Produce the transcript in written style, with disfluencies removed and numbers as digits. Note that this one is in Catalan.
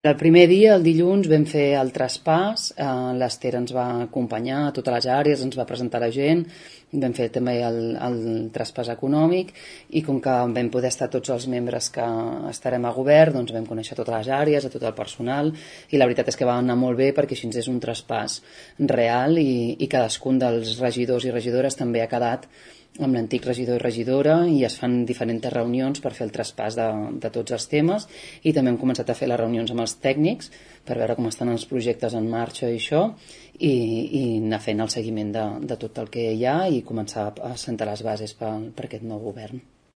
El primer dia, el dilluns, vam fer el traspàs, l'Ester ens va acompanyar a totes les àrees, ens va presentar la gent, vam fer també el traspàs econòmic i com que vam poder estar tots els membres que estarem a govern, doncs vam conèixer totes les àrees, a tot el personal i la veritat és que va anar molt bé perquè així és un traspàs real i cadascun dels regidors i regidores també ha quedat amb l'antic regidor i regidora i es fan diferents reunions per fer el traspàs de tots els temes i també hem començat a fer les reunions amb els tècnics per veure com estan els projectes en marxa i això i anar fent el seguiment de tot el que hi ha i començar a sentar les bases per aquest nou govern.